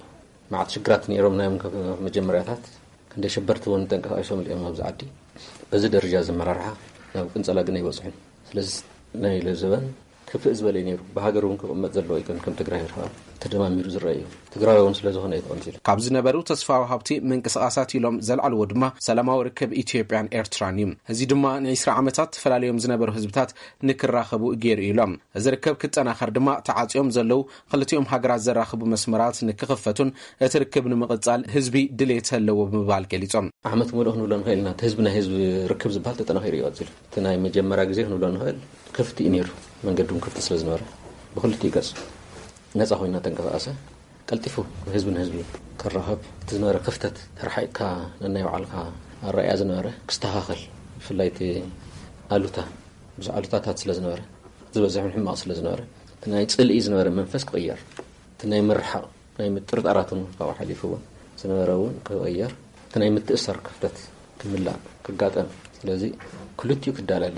መዓት ሽግራት ነይሮም ናዮም ካብ መጀመርያታት። ክንደይ ሸበርቲ እውን ተንቀሳቂሶም እዮም ኣብዚ ዓዲ። በዚ ደረጃ እዚ ኣመራርሓ ናብ ቅንጸላ ግን ኣይበጽሑን። ስለዚ ናይ ለዘበን ክፍእ ዝበለ እዩ ነይሩ። ብሃገር እውን ክቕመጥ ዘለዎ ኣይኮነን ከም ትግራይ ይረኣ። ተደማሚሩ ዝረአ እዩ። ትግራዊ እውን ስለ ዝኾነ እዩ ተቐንፂሉ። ካብ ዝነበሩ ተስፋ ወሃብቲ ምንቅስቓሳት ኢሎም ዘልዓልዎ ድማ ሰላማዊ ርክብ ኢትዮጵያን ኤርትራን እዩ። እዚ ድማ ንዒስራ ዓመታት ተፈላለዮም ዝነበሩ ህዝብታት ንክራኸቡ ገይሩ እዩ ኢሎም። እዚ ርክብ ክጠናኸር ድማ ተዓፅዮም ዘለዉ ክልቲኦም ሃገራት ዘራኽቡ መስመራት ንክኽፈቱን እቲ ርክብ ንምቕፃል ህዝቢ ድሌት ኣለዎ ብምባል ገሊፆም። ዓመት ሙሉእ ክንብሎ ንኽእል ኢና። እቲ ህዝቢ ናይ ህዝቢ ርክብ ዝበሃል ተጠናኺሩ እዩ ቀፂሉ። እቲ ናይ መጀመርያ ግዜ ክንብሎ ንኽእል ክፍቲ እዩ ነይሩ። መንገዲ እውን ክፍቲ ስለ ዝነበረ ብክልቲኡ ገፅ ነፃ ኮይና ተንቀሳቐሰ። ቀልጢፉ ህዝቢ ንህዝቢ ክራኸብ እቲ ዝነበረ ክፍተት ተረሓይካ ነናይ ባዕልካ ኣረኣያ ዝነበረ ክስተኻኸል፣ ብፍላይ እቲ ኣሉታ ብዙሕ ኣሉታታት ስለ ዝነበረ፣ ዝበዝሕ ሕማቕ ስለ ዝነበረ፣ እቲ ናይ ፅልኢ ዝነበረ መንፈስ ክቕየር፣ እቲ ናይ ምርሓቕ ናይ ምጥርጣራት እውን ካብኡ ሓሊፉ እውን ዝነበረ እውን ክቕየር፣ እቲ ናይ ምትእሳር ክፍተት ክምላእ ክጋጠም። ስለዚ ክልቲኡ ክዳለለ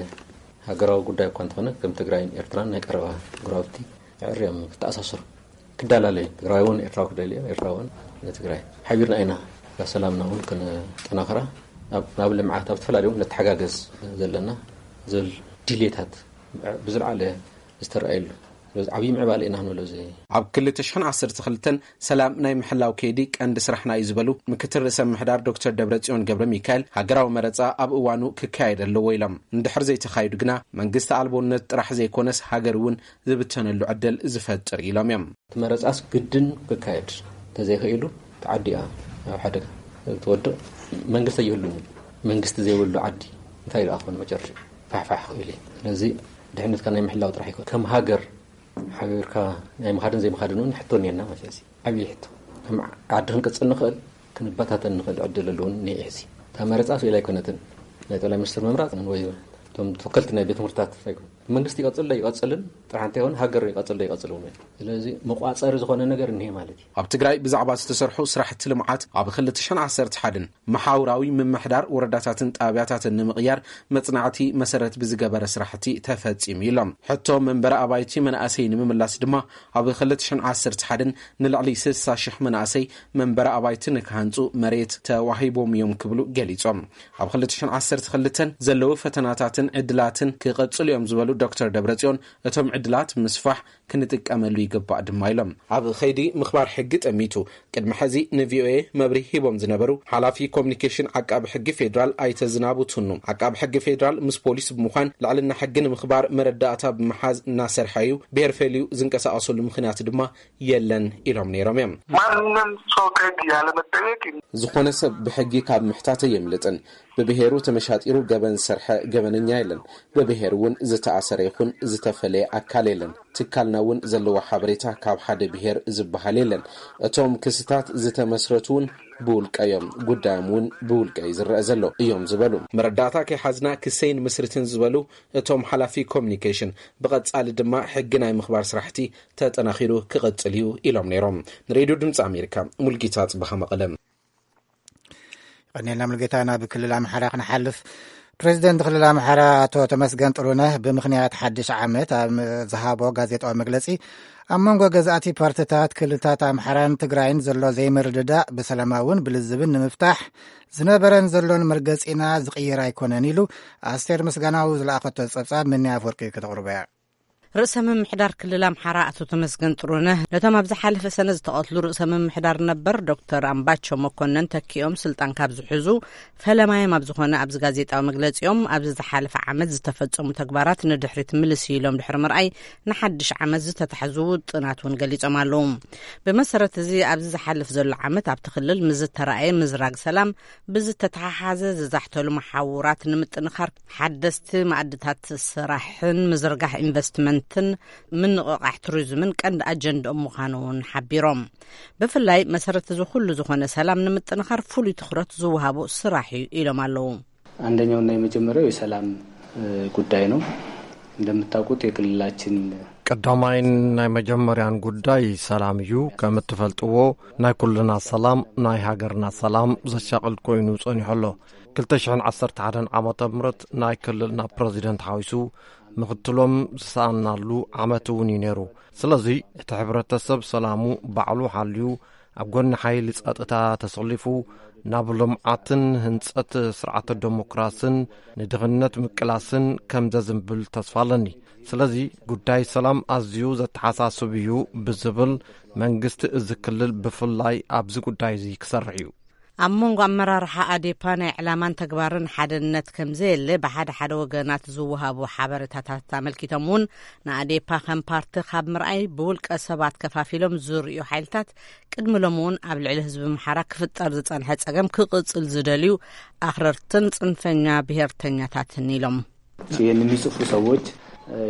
ሃገራዊ ጉዳይ እኳ እንተኾነ ከም ትግራይን ኤርትራን ናይ ቀረባ ጉራብቲ ኣዕርዮም ክተኣሳሰሩ ክዳላለዩ ትግራይ እውን ኤርትራዊ ክደልዮ ኤርትራ እውን ንትግራይ ሓቢርና ኢና ሰላምና እውን ክነጠናኽራ ኣብ ልምዓት ኣብ ዝተፈላለዩ ነተሓጋገዝ ዘለና ዝብል ድሌታት ብዝለዓለ ዝተረኣየሉ ዓብዪ ምዕባለ ኢና ክንብሎ። ኣብ ክልተ ሽሕን ዓሰርተ ክልተን ሰላም ናይ ምሕላው ከይዲ ቀንዲ ስራሕና እዩ ዝበሉ ምክትል ርእሰ ምሕዳር ዶክተር ደብረጽዮን ገብረ ሚካኤል፣ ሃገራዊ መረፃ ኣብ እዋኑ ክካየድ ኣለዎ ኢሎም። እንድሕር ዘይተኻይዱ ግና መንግስቲ ኣልቦነት ጥራሕ ዘይኮነስ ሃገር እውን ዝብተነሉ ዕድል ዝፈጥር ኢሎም እዮም። እቲ መረፃስ ግድን ክካየድ እንተዘይኽኢሉ ተዓዲያ ኣብ ሓደጋ ትወድቕ። መንግስቲ ኣይህሉን እዩ። መንግስቲ ዘይብሉ ዓዲ እንታይ ደኣ ክኾን መጨረሻ ፋሕፋሕ ክእል እዩ። ስለዚ ድሕነትካ ናይ ምሕላው ጥራሕ ይኮን ከም ሃገር ሓቢርካ ናይ ምኻድን ዘይምኻድን እውን ሕቶ እኒአና ማለት እዩ። ዓብዪ ሕቶ ከም ዓዲ ክንቅፅል ንኽእል ክንበታተን ንኽእል ዕድል ኣለውን እኒአ ሕዚ እታ መረፃ ስኢል ኣይኮነትን። ናይ ጠቅላይ ሚኒስትር ምምራፅ ወይ እቶም ተወከልቲ ናይ ቤት ትምህርትታት ኣይኮነ መንግስቲ ይቐፅል ዶ ይቐፅልን ጥራሕ እንታይ ይኸውን ሃገር ይቐፅል ዶ ይቐፅል እውን። ስለዚ መቋፀሪ ዝኾነ ነገር እኒሄ ማለት እዩ። ኣብ ትግራይ ብዛዕባ ዝተሰርሑ ስራሕቲ ልምዓት ኣብ ክልተ ሽሕን ዓሰርተ ሓደን መሓውራዊ ምምሕዳር ወረዳታትን ጣብያታትን ንምቕያር መጽናዕቲ መሰረት ብዝገበረ ስራሕቲ ተፈጺሙ ኢሎም። ሕቶ መንበሪ ኣባይቲ መናእሰይ ንምምላስ ድማ ኣብ ክልተ ሽሕን ዓሰርተ ሓደን ንልዕሊ ስሳ ሽሕ መናእሰይ መንበሪ ኣባይቲ ንክሃንጹ መሬት ተዋሂቦም እዮም ክብሉ ገሊጾም። ኣብ ክልተ ሽሕን ዓሰርተ ክልተን ዘለዉ ፈተናታትን ዕድላትን ክቐጽሉ እዮም ዝበሉ ዶክተር ደብረጽዮን እቶም ዕድላት ምስፋሕ ክንጥቀመሉ ይግባእ ድማ ኢሎም። ኣብ ኸይዲ ምኽባር ሕጊ ጠሚቱ ቅድሚ ሕዚ ንቪኦኤ መብርሂ ሂቦም ዝነበሩ ሓላፊ ኮሚኒኬሽን ዓቃቢ ሕጊ ፌዴራል ኣይተ ዝናቡ ቱኑ፣ ዓቃቢ ሕጊ ፌዴራል ምስ ፖሊስ ብምዃን ልዕልና ሕጊ ንምኽባር መረዳእታ ብምሓዝ እናሰርሐ እዩ። ብሄር ፈልዩ ዝንቀሳቐሰሉ ምኽንያት ድማ የለን ኢሎም ነይሮም እዮም። ማንም ሰው ከህግ ያለመጠየቅ ዝኾነ ሰብ ብሕጊ ካብ ምሕታት የምልጥን። ብብሄሩ ተመሻጢሩ ገበን ዝሰርሐ ገበነኛ የለን። ብብሄር እውን ዝተኣሰረ ይኹን ዝተፈለየ ኣካል የለን። ትካልና እውን ዘለዎ ሓበሬታ ካብ ሓደ ብሄር ዝበሃል የለን። እቶም ክስታት ዝተመስረቱ እውን ብውልቀ እዮም። ጉዳዮም እውን ብውልቀ እዩ ዝረአ ዘሎ እዮም ዝበሉ። መረዳእታ ከይሓዝና ክሰይን ምስርትን ዝበሉ እቶም ሓላፊ ኮሚኒኬሽን፣ ብቐጻሊ ድማ ሕጊ ናይ ምኽባር ስራሕቲ ተጠናኺሩ ክቕጽል እዩ ኢሎም ነይሮም። ንሬድዮ ድምፂ ኣሜሪካ ሙልጌታ ጽበኻ መቐለ። ቀኒልና ሙልጌታ። ናብ ክልል ኣምሓራ ክንሓልፍ፣ ፕሬዚደንት ክልል ኣምሓራ ኣቶ ተመስገን ጥሩነህ ብምኽንያት ሓድሽ ዓመት ኣብ ዝሃቦ ጋዜጣዊ መግለጺ ኣብ መንጎ ገዛእቲ ፓርትታት ክልልታት ኣምሓራን ትግራይን ዘሎ ዘይምርድዳእ ብሰላማውን ብልዝብን ንምፍታሕ ዝነበረን ዘሎን መርገጺና ዝቕየር ኣይኮነን ኢሉ። ኣስቴር ምስጋናው ዝለኣኸቶ ጸብጻብ ምንያ ኣፍወርቂ ከተቕርቦ እያ። ርእሰ ምምሕዳር ክልል ኣምሓራ ኣቶ ተመስገን ጥሩነህ ነቶም ኣብ ዝሓለፈ ሰነ ዝተቐትሉ ርእሰ ምምሕዳር ነበር ዶክተር ኣምባቸው መኮነን ተኪኦም ስልጣን ካብ ዝሕዙ ፈለማዮም ኣብ ዝኾነ ኣብዚ ጋዜጣዊ መግለጺኦም ኣብዚ ዝሓለፈ ዓመት ዝተፈጸሙ ተግባራት ንድሕሪት ምልስ ኢሎም ድሕሪ ምርኣይ ንሓድሽ ዓመት ዝተታሕዙ ውጥናት እውን ገሊጾም ኣለዉ። ብመሰረት እዚ ኣብዚ ዝሓልፍ ዘሎ ዓመት ኣብቲ ክልል ምስ ዝተረኣየ ምዝራግ ሰላም ብዝተተሓሓዘ ዝዛሕተሉ መሓውራት ንምጥንኻር ሓደስቲ ማዕድታት ስራሕን ምዝርጋሕ ኢንቨስትመንትን ምንቕቓሕ ቱሪዝምን ቀንዲ ኣጀንድኦም ምዃኑ እውን ሓቢሮም። ብፍላይ መሰረት እዚ ኩሉ ዝኾነ ሰላም ንምጥንኻር ፍሉይ ትኹረት ዝወሃቦ ስራሕ እዩ ኢሎም ኣለዉ። አንደኛውና የመጀመሪያው የሰላም ጉዳይ ነው። እንደምታውቁት የክልላችን ቀዳማይን ናይ መጀመርያን ጉዳይ ሰላም እዩ። ከም እትፈልጥዎ ናይ ኩልና ሰላም ናይ ሃገርና ሰላም ዘሻቕል ኮይኑ ጸኒሑ ኣሎ። ክልተ ሽሕን ዓሰርተ ሓደን ዓመተ ምህረት ናይ ክልልና ፕረዚደንት ሓዊሱ ምኽትሎም ዝሰኣናሉ ዓመት እውን እዩ ነይሩ። ስለዚ እቲ ሕብረተሰብ ሰላሙ ባዕሉ ሓልዩ ኣብ ጎኒ ሓይሊ ጸጥታ ተሰሊፉ ናብ ልምዓትን ህንጸት ስርዓተ ዴሞክራስን ንድኽነት ምቅላስን ከም ዘዝንብል ተስፋ ኣለኒ። ስለዚ ጉዳይ ሰላም ኣዝዩ ዘተሓሳስብ እዩ ብዝብል መንግስቲ እዚ ክልል ብፍላይ ኣብዚ ጉዳይ እዚ ክሰርሕ እዩ። ኣብ መንጎ ኣመራርሓ ኣዴፓ ናይ ዕላማን ተግባርን ሓደነት ከም ዘየለ ብሓደ ሓደ ወገናት ዝወሃቡ ሓበሬታታት ኣመልኪቶም እውን፣ ንኣዴፓ ከም ፓርቲ ካብ ምርኣይ ብውልቀ ሰባት ከፋፊሎም ዝርእዩ ሓይልታት ቅድሚ ሎሚ እውን ኣብ ልዕሊ ህዝቢ ኣምሓራ ክፍጠር ዝጸንሐ ጸገም ክቕጽል ዝደልዩ ኣኽረርትን ጽንፈኛ ብሄርተኛታትን ኢሎም። ይህን የሚጽፉ ሰዎች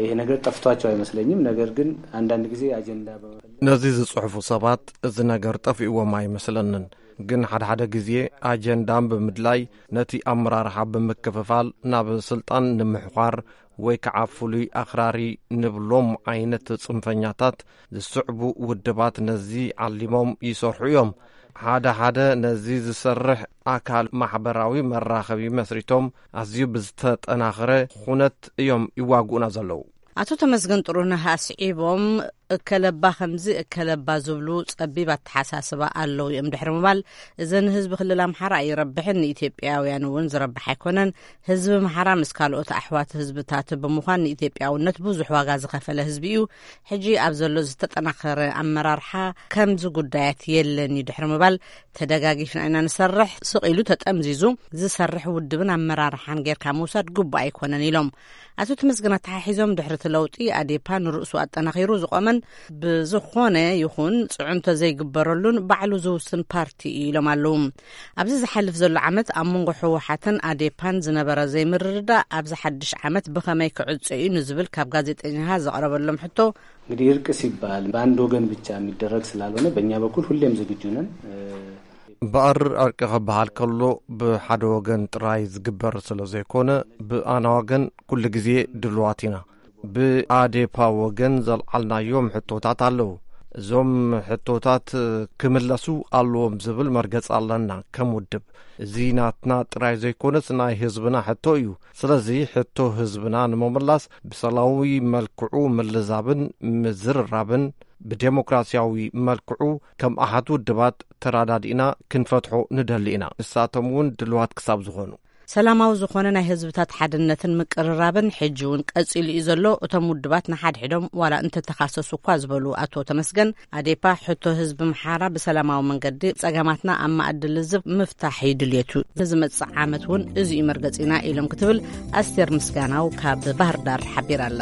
ይሄ ነገር ጠፍቷቸው አይመስለኝም። ነገር ግን አንዳንድ ጊዜ አጀንዳ በመፈለግ ነዚ ዝጽሕፉ ሰባት እዚ ነገር ጠፊእዎም ኣይመስለንን። ግን ሓደ ሓደ ግዜ ኣጀንዳን ብምድላይ ነቲ ኣመራርሓ ብምክፍፋል ናብ ስልጣን ንምሕዃር ወይ ከዓ ፍሉይ ኣኽራሪ ንብሎም ዓይነት ጽንፈኛታት ዝስዕቡ ውድባት ነዚ ዓሊሞም ይሰርሑ እዮም። ሓደ ሓደ ነዚ ዝሰርሕ ኣካል ማሕበራዊ መራኸቢ መስሪቶም ኣዝዩ ብዝተጠናኸረ ኩነት እዮም ይዋግኡና ዘለዉ። ኣቶ ተመስገን ጥሩነህ ኣስዒቦም፣ እከለባ ከምዚ እከለባ ዝብሉ ጸቢብ ኣተሓሳስባ ኣለዉ እዮም ድሕሪ ምባል፣ እዘ ንህዝቢ ክልል ኣምሓራ ኣይረብሕን፣ ንኢትዮጵያውያን እውን ዝረብሕ ኣይኮነን። ህዝቢ ኣምሓራ ምስ ካልኦት ኣሕዋት ህዝብታት ብምዃን ንኢትዮጵያውነት ብዙሕ ዋጋ ዝኸፈለ ህዝቢ እዩ። ሕጂ ኣብ ዘሎ ዝተጠናኸረ ኣመራርሓ ከምዚ ጉዳያት የለን እዩ ድሕሪ ምባል፣ ተደጋጊፍና ኢና ንሰርሕ፣ ስቕ ኢሉ ተጠምዚዙ ዝሰርሕ ውድብን ኣመራርሓን ጌርካ ምውሳድ ግቡእ ኣይኮነን ኢሎም። ኣቶ ተመስገን ኣተሓሒዞም፣ ድሕሪ እቲ ለውጢ ኣዴፓ ንርእሱ ኣጠናኺሩ ዝቖመን ብዝኾነ ይኹን ጽዕንቶ ዘይግበረሉን ባዕሉ ዝውስን ፓርቲ እዩ ኢሎም ኣለዉ። ኣብዚ ዝሓልፍ ዘሎ ዓመት ኣብ መንጎ ህወሓትን ኣዴፓን ዝነበረ ዘይምርድዳእ ኣብዚ ሓድሽ ዓመት ብኸመይ ክዕጾ እዩ ንዝብል ካብ ጋዜጠኛኻ ዘቕረበሎም ሕቶ፣ እንግዲህ እርቅ ሲባል በአንድ ወገን ብቻ የሚደረግ ስላልሆነ በእኛ በኩል ሁሌም ዝግጁ ነን። በኣር ዕርቂ ክበሃል ከሎ ብሓደ ወገን ጥራይ ዝግበር ስለ ዘይኮነ፣ ብኣና ወገን ኩሉ ግዜ ድልዋት ኢና። ብኣዴፓ ወገን ዘልዓልናዮም ሕቶታት ኣለዉ። እዞም ሕቶታት ክምለሱ ኣለዎም ዝብል መርገጺ ኣለና። ከም ውድብ፣ እዚ ናትና ጥራይ ዘይኮነስ ናይ ህዝብና ሕቶ እዩ። ስለዚ ሕቶ ህዝብና ንምምላስ ብሰላማዊ መልክዑ ምልዛብን ምዝርራብን ብዴሞክራሲያዊ መልክዑ ከም ኣሓት ውድባት ተራዳዲእና ክንፈትሖ ንደሊ ኢና። ንሳቶም እውን ድልዋት ክሳብ ዝኾኑ። ሰላማዊ ዝኾነ ናይ ህዝብታት ሓድነትን ምቅርራብን ሕጂ እውን ቀጺሉ እዩ ዘሎ። እቶም ውድባት ንሓድሕዶም ዋላ እንተተኻሰሱ እኳ ዝበሉ ኣቶ ተመስገን፣ ኣዴፓ ሕቶ ህዝቢ ኣምሓራ ብሰላማዊ መንገዲ ጸገማትና ኣብ መኣዲ ልዝብ ምፍታሕ እዩ ድልየቱ። ንዝመጽእ ዓመት እውን እዚ እዩ መርገጺና ኢሎም ክትብል ኣስቴር ምስጋናው ካብ ባህር ዳር ሓቢራ ኣላ።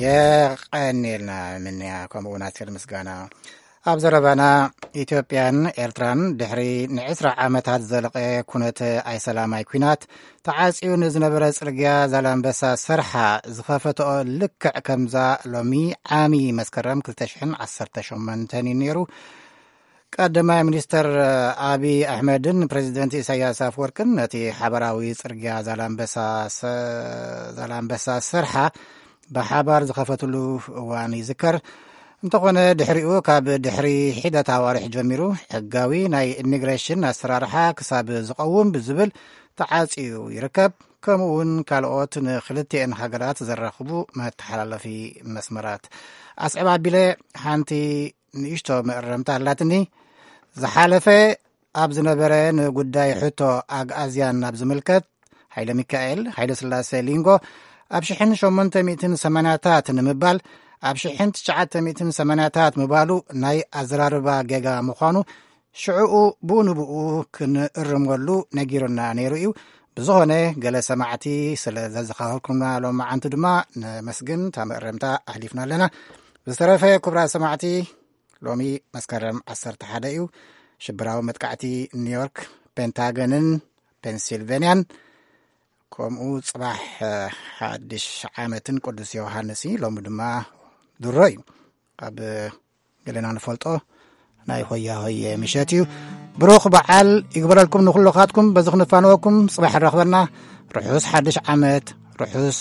የቐንየልና ምንያ ከምኡ እውን ኣስቴር ምስጋና። ኣብ ዘረባና፣ ኢትዮጵያን ኤርትራን ድሕሪ ንዕስራ ዓመታት ዝዘለቐ ኩነት ኣይሰላማይ ኲናት ተዓጽዩ ንዝነበረ ጽርግያ ዛላምበሳ ሰርሓ ዝኸፈትኦ ልክዕ ከምዛ ሎሚ ዓሚ መስከረም ክልተ ሽሕን ዓሰርተ ሸሞንተን እዩ ነይሩ። ቀዳማይ ሚኒስተር ኣቢ ኣሕመድን ፕሬዚደንት ኢሳያስ ኣፍወርቅን ነቲ ሓበራዊ ጽርግያ ዛላምበሳ ሰ- ዛላምበሳ ሰርሓ ብሓባር ዝኸፈትሉ እዋን ይዝከር። እንተኾነ ድሕሪኡ ካብ ድሕሪ ሒደት ኣዋርሕ ጀሚሩ ሕጋዊ ናይ ኢሚግሬሽን ኣሰራርሓ ክሳብ ዝቐውም ብዝብል ተዓጽዩ ይርከብ። ከምኡ እውን ካልኦት ንክልቲኤን ሃገራት ዘራኽቡ መተሓላለፊ መስመራት ኣስዕብ ኣቢለ ሓንቲ ንእሽቶ መእረምታ ኣላትኒ። ዝሓለፈ ኣብ ዝነበረ ንጉዳይ ሕቶ ኣግኣዝያን ናብ ዝምልከት፣ ሃይለ ሚካኤል ሃይለ ስላሴ ሊንጎ ኣብ ሽሕን ሸሞንተ ሚእትን ሰማንያታት ንምባል ኣብ ሽሕን ትሽዓተ ሚእትን ሰማንያታት ምባሉ ናይ ኣዘራርባ ጌጋ ምዃኑ ሽዕኡ ብኡ ንብኡ ክንእርመሉ ነጊሩና ነይሩ እዩ። ብዝኾነ ገለ ሰማዕቲ ስለ ዘዘኻኸርኩምና ሎማዓንቲ ድማ ነመስግን። እታ መእረምታ ኣሕሊፍና ኣለና። ብዝተረፈ ክቡራት ሰማዕቲ፣ ሎሚ መስከረም ዓሰርተ ሓደ እዩ። ሽብራዊ መጥቃዕቲ ኒውዮርክ፣ ፔንታገንን ፔንሲልቬንያን፣ ከምኡ ጽባሕ ሓድሽ ዓመትን ቅዱስ ዮሃንስ እዩ። ሎሚ ድማ ድሮ እዩ። ኣብ ገለና ንፈልጦ ናይ ሆያ ሆየ ምሸት እዩ። ብሩኽ በዓል ይግበረልኩም ንኹልኻትኩም። በዚ ክንፋነወኩም ጽባሕ ንረኽበና። ርሑስ ሓድሽ ዓመት፣ ርሑስ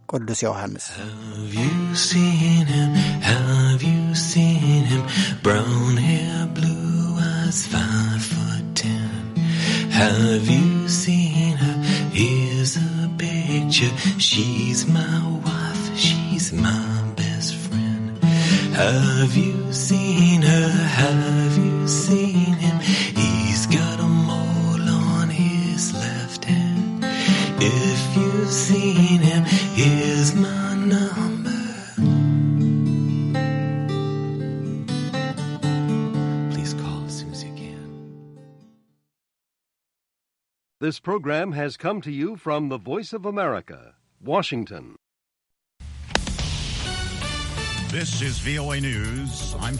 ቅዱስ ዮሃንስ። Have you seen him? Have you seen him? Brown hair, blue eyes, five foot ten. Have you seen her? Here's a picture. She's my wife, she's my best friend. Have you seen her? Have you seen him? He's got a mole This program has come to you from the Voice of America, Washington. This is V O A News. I'm